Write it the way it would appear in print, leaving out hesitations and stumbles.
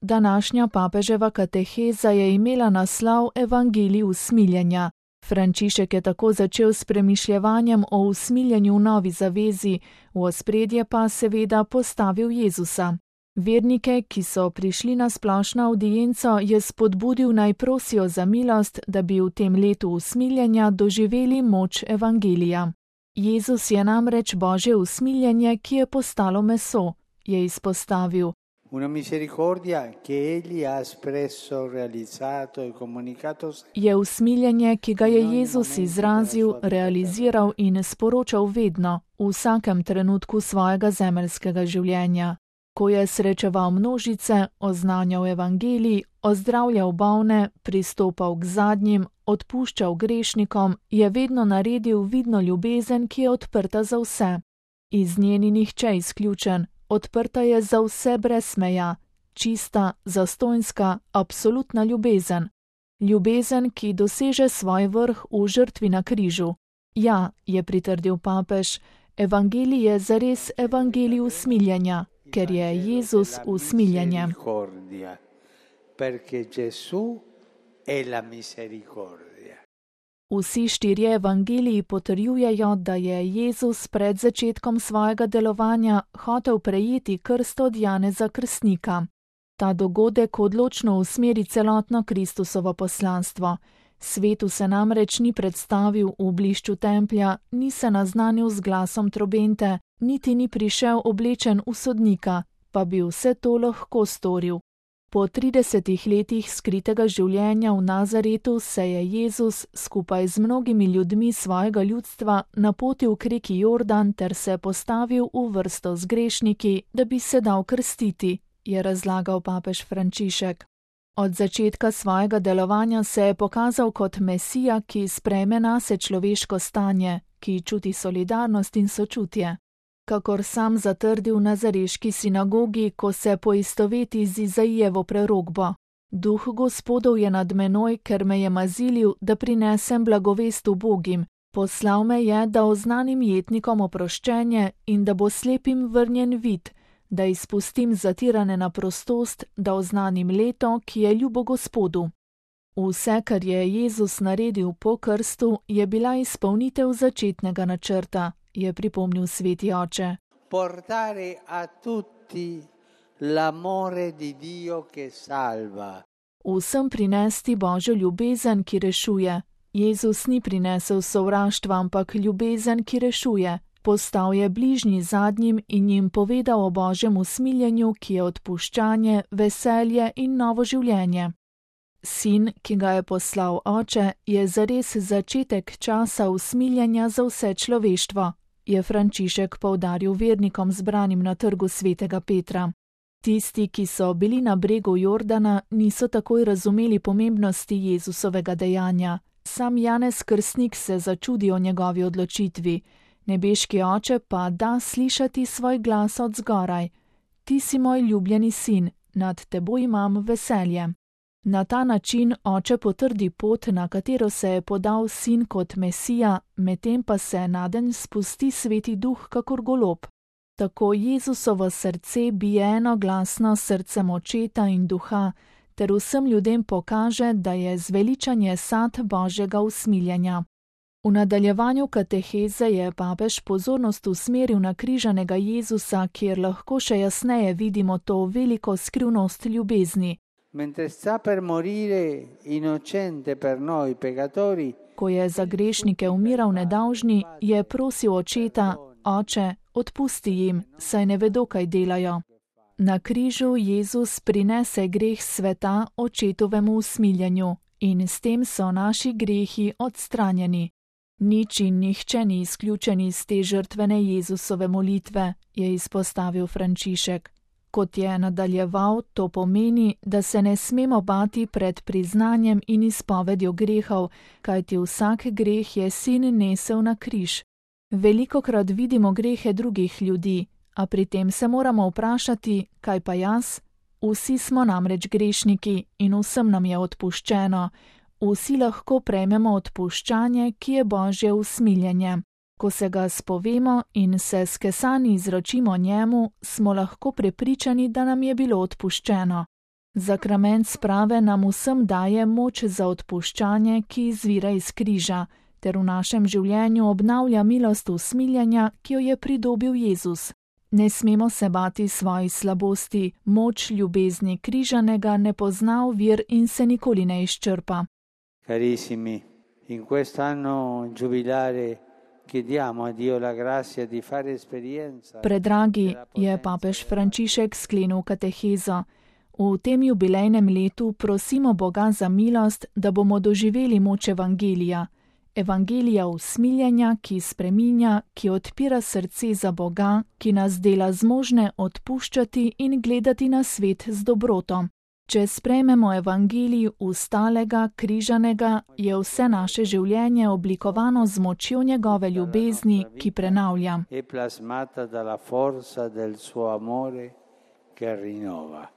Današnja papeževa kateheza je imela naslov Evangelij usmiljenja. Frančišek je tako začel s premišljevanjem o usmiljenju v novi zavezi, v ospredje pa seveda postavil Jezusa. Vernike, ki so prišli na splošno avdienco, je spodbudil naj prosijo za milost, da bi v tem letu usmiljenja doživeli moč Evangelija. Jezus je namreč Božje usmiljenje, ki je postalo meso, je izpostavil. Una misericordia che egli ha espresso, realizzato e comunicato. Je usmiljenje, ki ga je Jezus izrazil, realiziral in sporočal vedno, v vsakem trenutku svojega zemeljskega življenja. Ko je srečeval množice, oznanjal evangelij, ozdravljal bolne, pristopal k zadnjim, odpuščal grešnikom, je vedno naredil vidno ljubezen, ki je odprta za vse. Iz nje ni nihče izključen, odprta je za vse brez meja, čista, zastonjska, absolutna ljubezen. Ljubezen, ki doseže svoj vrh v žrtvi na križu. Ja, je pritrdil papež, evangelij je zares evangelij usmiljenja, ker je Jezus usmiljenje. Vsi štirje evangeliji potrjujejo, da je Jezus pred začetkom svojega delovanja hotel prejeti krst od Janeza Krstnika. Ta dogodek odločno usmeri celotno Kristusovo poslanstvo. Svetu se namreč ni predstavil v blišču templja, ni se naznanil z glasom trobente, niti ni prišel oblečen v sodnika, pa bi vse to lahko storil. Po 30 letih skritega življenja v Nazaretu se je Jezus skupaj z mnogimi ljudmi svojega ljudstva napotil k reki Jordan ter se postavil v vrsto z grešniki, da bi se dal krstiti, je razlagal papež Frančišek. Od začetka svojega delovanja se je pokazal kot Mesija, ki sprejme nase človeško stanje, ki čuti solidarnost in sočutje. Kakor sam zatrdil v nazareški sinagogi, ko se poistoveti z Izaijevo prerokbo. Duh Gospodov je nad menoj, ker me je mazilil, da prinesem blagovest ubogim. Poslal me je, da oznanim jetnikom oproščenje in da bo slepim vrnjen vid, da izpustim zatirane na prostost, da oznanim leto, ki je ljubo Gospodu. Vse, kar je Jezus naredil po krstu, je bila izpolnitev začetnega načrta, je pripomnil sveti oče. Portare a tutti l'amore di Dio che salva. Vsem prinesti Božjo ljubezen, ki rešuje. Jezus ni prinesel sovraštva, ampak ljubezen, ki rešuje. Postal je bližnji zadnjim in jim povedal o Božjem usmiljenju, ki je odpuščanje, veselje in novo življenje. Sin, ki ga je poslal oče, je zares začetek časa usmiljenja za vse človeštvo, je Frančišek poudaril vernikom zbranim na trgu svetega Petra. Tisti, ki so bili na bregu Jordana, niso takoj razumeli pomembnosti Jezusovega dejanja. Sam Janez Krstnik se začudi o njegovi odločitvi. Nebeški oče pa da slišati svoj glas od zgoraj. Ti si moj ljubljeni sin, nad teboj imam veselje. Na ta način oče potrdi pot, na katero se je podal sin kot Mesija, medtem pa se nadenj spusti sveti duh kakor golob. Tako Jezusovo srce bije enoglasno srcem očeta in duha, ter vsem ljudem pokaže, da je zveličanje sad Božjega usmiljenja. V nadaljevanju kateheze je papež pozornost usmeril na križanega Jezusa, kjer lahko še jasneje vidimo to veliko skrivnost ljubezni. Mentre sta per morire innocente per noi peccatori, ko je za grešnike umiral nedolžni, je prosil očeta, oče, odpusti jim, saj ne vedo, kaj delajo. Na križu Jezus prinese greh sveta očetovemu usmiljenju in s tem so naši grehi odstranjeni. Nič in nihče ni izključen iz te žrtvene Jezusove molitve, je izpostavil Frančišek. Kot je nadaljeval, to pomeni, da se ne smemo bati pred priznanjem in izpovedjo grehov, kajti vsak greh je sin nesel na križ. Velikokrat vidimo grehe drugih ljudi, a pri tem se moramo vprašati, kaj pa jaz? Vsi smo namreč grešniki in vsem nam je odpuščeno. Vsi lahko prejmemo odpuščanje, ki je Božje usmiljenje. Ko se ga spovemo in se skesani izročimo njemu, smo lahko prepričani, da nam je bilo odpuščeno. Zakrament sprave nam vsem daje moč za odpuščanje, ki izvira iz križa, ter v našem življenju obnavlja milost usmiljenja, ki jo je pridobil Jezus. Ne smemo se bati svojih slabosti, moč ljubezni križanega ne pozna ovir in se nikoli ne izčrpa. Carissimi, in quest'anno giubilare chiediamo a Dio la grazia di fare esperienza. Predragi, je papež Frančišek sklenil katehezo. V tem jubilejnem letu prosimo Boga za milost, da bomo doživeli moč evangelija. Evangelija usmiljenja, ki spreminja, ki odpira srce za Boga, ki nas dela zmožne odpuščati in gledati na svet z dobroto. Če sprejmemo evangelij ustalega, križanega, je vse naše življenje oblikovano z močjo njegove ljubezni, ki prenavlja. È plasmata dalla forza del suo amore che rinnova.